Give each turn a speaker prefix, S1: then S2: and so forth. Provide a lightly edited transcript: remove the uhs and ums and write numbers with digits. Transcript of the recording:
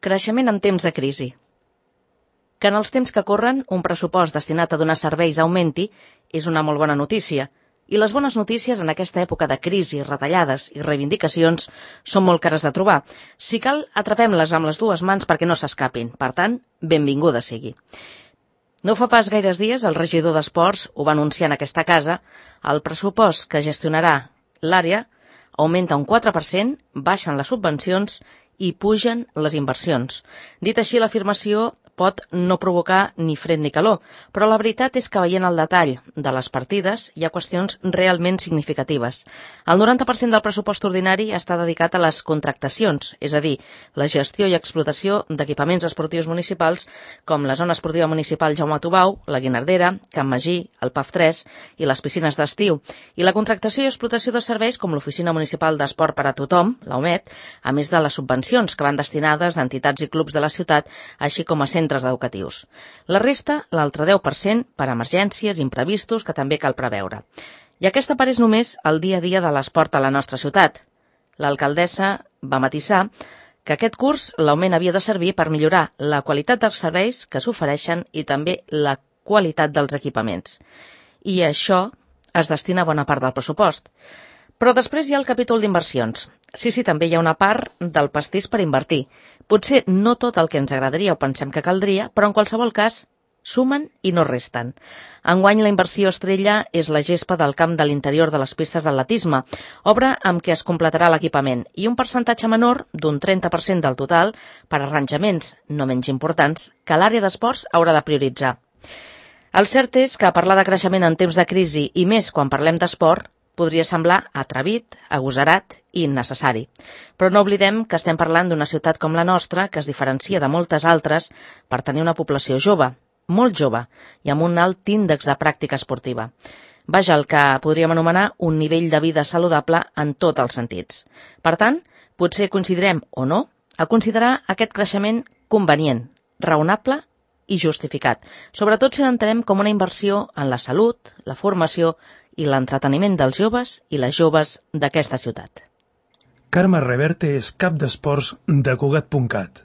S1: Creixement en temps de crisi. Que en els temps que corren un pressupost destinat a donar serveis augmenti és una molt bona notícia, i les bones notícies en aquesta època de crisi, retallades i reivindicacions són molt cares de trobar. Si cal, atrapem-les amb les dues mans perquè no s'escapin. Per tant, benvinguda sigui. No fa pas gaires dies el regidor d'Esports ho va anunciar en aquesta casa. El pressupost que gestionarà l'àrea augmenta un 4%, baixen les subvencions i pugen les inversions. Dit així, l'afirmació pot no provocar ni fred ni calor, però la veritat és que veient el detall de les partides hi ha qüestions realment significatives. El 90% del pressupost ordinari està dedicat a les contractacions, és a dir, la gestió i explotació d'equipaments esportius municipals com la zona esportiva municipal Jaume Tubau, la Guinardera, Can Magí, el PAF 3 i les piscines d'estiu, i la contractació i explotació de serveis com l'Oficina Municipal d'Esport per a Tothom, la UMET, a més de les subvencions que van destinades a entitats i clubs de la ciutat, així com a centres educatius. La resta, l'altre 10%, per emergències, imprevistos, que també cal preveure. I aquesta part és només el dia a dia de l'esport a la nostra ciutat. L'alcaldessa va matisar que aquest curs l'augment havia de servir per millorar la qualitat dels serveis que s'ofereixen i també la qualitat dels equipaments. I això es destina a bona part del pressupost. Però després hi ha el capítol d'inversions. Sí, també hi ha una part del pastís per invertir. Potser no tot el que ens agradaria o pensem que caldria, però en qualsevol cas sumen i no resten. Enguany la inversió estrella és la gespa del camp de l'interior de les pistes d'atletisme, obra amb què es completarà l'equipament, i un percentatge menor, d'un 30% del total, per arranjaments no menys importants, que l'àrea d'esports haurà de prioritzar. El cert és que parlar de creixement en temps de crisi, i més quan parlem d'esport, podria semblar atrevit, agosarat i innecessari. Però no oblidem que estem parlant d'una ciutat com la nostra que es diferencia de moltes altres per tenir una població jove, molt jove, i amb un alt índex de pràctica esportiva. Vaja, el que podríem anomenar un nivell de vida saludable en tots els sentits. Per tant, potser coincidirem o no a considerar aquest creixement convenient, raonable i justificat, sobretot si l'entenem com una inversió en la salut, la formació i l'entreteniment dels joves i les joves d'aquesta ciutat.
S2: Carme Reverte és cap d'esports de Cugat.cat.